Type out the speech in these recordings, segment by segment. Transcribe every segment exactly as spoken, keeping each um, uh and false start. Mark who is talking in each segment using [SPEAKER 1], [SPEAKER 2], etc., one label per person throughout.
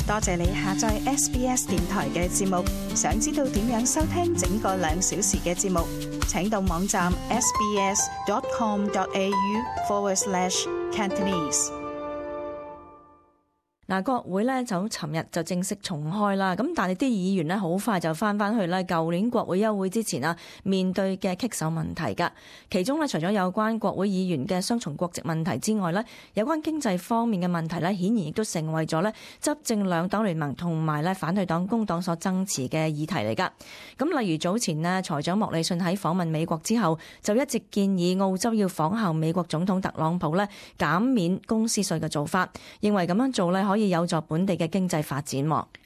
[SPEAKER 1] 多謝你下載 S B S 電台嘅節目。想知道點樣收聽整個兩小時嘅節目，請到網站 sbs.com.au forward slash Cantonese。
[SPEAKER 2] 嗱，國會咧就尋日就正式重開啦，咁但係啲議員咧好快就翻翻去咧舊年國會休會之前啊面對嘅棘手問題㗎。其中咧除咗有關國會議員嘅雙重國籍問題之外咧，有關經濟方面嘅問題咧，顯然亦都成為咗咧執政兩黨聯盟同埋咧反對黨工黨所爭持嘅議題嚟㗎。咁例如早前呢，財長莫里遜喺訪問美國之後，就一直建議澳洲要仿效美國總統特朗普咧減免公司稅嘅做法，認為咁樣做咧可以有助本地嘅經濟發展。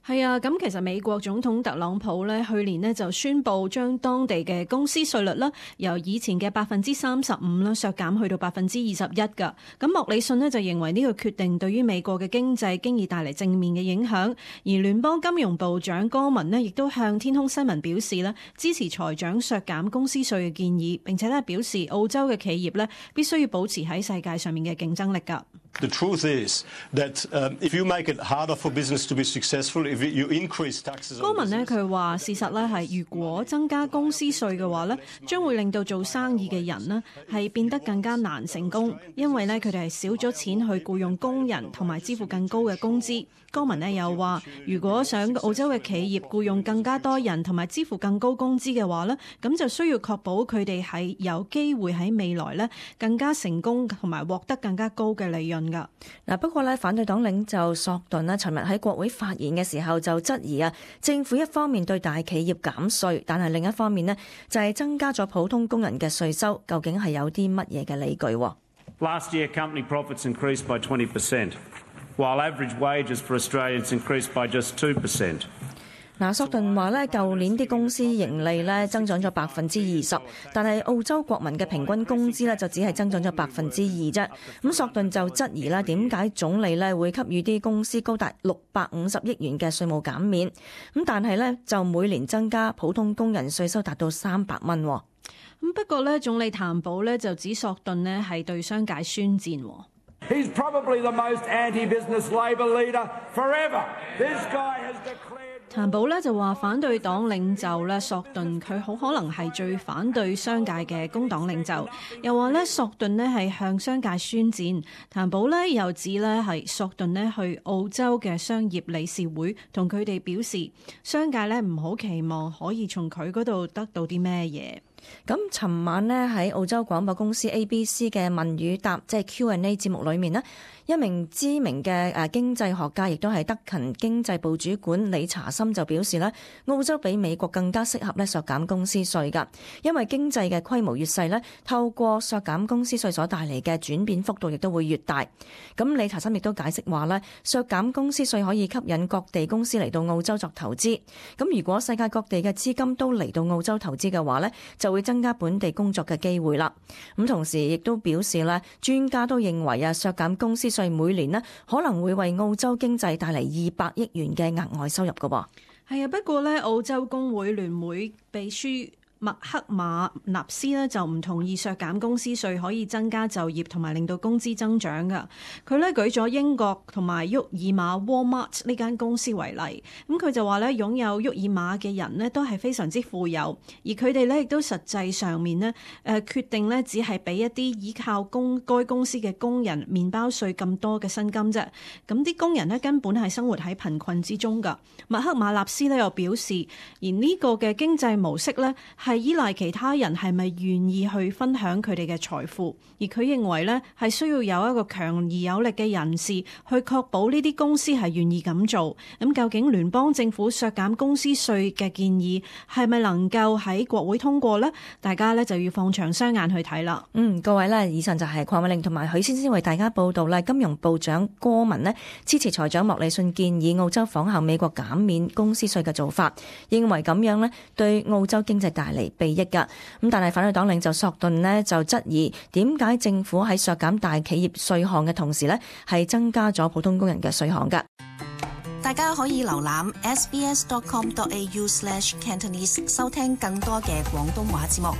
[SPEAKER 3] 係啊，咁其實美國總統特朗普咧去年呢就宣布將當地嘅公司稅率啦由以前嘅百分之三十五啦削減去到百分之二十一㗎。咁莫里遜呢就認為呢個決定對於美國嘅經濟經已帶嚟正面嘅影響，而聯邦金融部長戈文呢亦都向天空新聞表示咧支持財長削減公司稅嘅建議，並且咧表示澳洲嘅企業咧必須要保持喺世界上面嘅競爭力㗎。
[SPEAKER 4] The truth is that um, if you make it harder for business to be successful, if you increase taxes on business.
[SPEAKER 3] 戈文呢佢話事實咧係如果增加公司稅嘅話咧，將會令到做生意嘅人呢係變得更加難成功，因為咧佢哋係少咗錢去僱用工人同埋支付更高嘅工資。戈文呢又話，如果想澳洲嘅企業僱用更加多人同埋支付更高工資嘅話咧，咁就需要確保佢哋係有機會喺未來咧更加成功同埋獲得更加高嘅利潤㗎。
[SPEAKER 2] 嗱，不過咧反對黨領袖索頓呢尋日喺國會發言嘅時候就質疑啊，政府一方面對大企業減稅，但係另一方面呢就係增加咗普通工人嘅稅收，究竟係有啲乜嘢嘅理據？Last
[SPEAKER 5] year, company profits increased by twenty percent, while average wages for Australians increased by just two percent.
[SPEAKER 2] 嗱，索頓話咧，舊年啲公司盈利咧增長咗百分之二十，但係澳洲國民嘅平均工資咧就只係增長咗百分之二啫。咁索頓就質疑啦，點解總理咧會給予啲公司高達六百五十億元嘅稅務減免？咁但係咧就每年增加普通工人稅收達到三百蚊。咁
[SPEAKER 3] 不過咧，總理譚寶咧就指索頓呢係對商界宣戰。
[SPEAKER 6] He's probably the most anti-business Labor leader forever. This guy has declared.
[SPEAKER 3] 譚寶咧就話反對黨領袖咧索頓佢好可能係最反對商界嘅工黨領袖，又話咧索頓呢係向商界宣戰。譚寶咧又指咧係索頓呢去澳洲嘅商業理事會同佢哋表示，商界咧唔好期望可以從佢嗰度得到啲咩嘢。
[SPEAKER 2] 咁尋晚呢喺澳洲廣播公司 A B C 嘅問與答即係 Q and A 節目裏面呢，一名知名嘅誒經濟學家亦都係德勤經濟部主管理查森就表示呢，澳洲比美國更加適合咧削減公司稅㗎，因為經濟嘅規模越細呢，透過削減公司稅所帶嚟嘅轉變幅度亦都會越大。咁理查森亦都解釋話呢，削減公司稅可以吸引各地公司嚟到澳洲作投資。咁如果世界各地嘅資金都嚟到澳洲投資嘅話呢，就會增加本地工作嘅機會啦。咁同時亦都表示咧，專家都認為啊，削減公司稅每年咧可能會為澳洲經濟帶嚟二百億元嘅額外收入㗎喎。
[SPEAKER 3] 係啊，不過咧，澳洲工會聯會秘書麥克馬納斯呢就唔同意削減公司稅可以增加就業同埋令到工資增長㗎。佢呢舉咗英國同埋沃爾瑪 Walmart 呢間公司為例，咁佢就話呢擁有沃爾瑪嘅人呢都係非常之富有，而佢哋呢亦都實際上面呢誒決定呢只係俾一啲依靠公該公司嘅工人麵包稅咁多嘅薪金啫。咁啲工人呢根本係生活喺貧困之中㗎。麥克馬納斯呢又表示，而呢個嘅經濟模式呢係依賴其他人係咪願意去分享佢哋嘅財富，而佢認為呢係需要有一個強而有力嘅人士去確保呢啲公司係願意咁做。咁究竟聯邦政府削減公司稅嘅建議係咪能夠喺國會通過呢？大家呢就要放長雙眼去睇啦。
[SPEAKER 2] 嗯，各位呢，以上就係鄺美玲同埋許先生為大家報道啦。金融部長戈文呢支持財長莫里遜建議澳洲仿效美國減免公司稅嘅做法，認為咁樣呢對澳洲經濟帶嚟裨益㗎。咁但係反對黨領袖索頓呢就質疑點解政府喺削減大企業稅項嘅同時呢係增加咗普通工人嘅稅項㗎。
[SPEAKER 7] 大家可以瀏覽 sbs.com.au slash Cantonese 收聽更多嘅廣東話節目。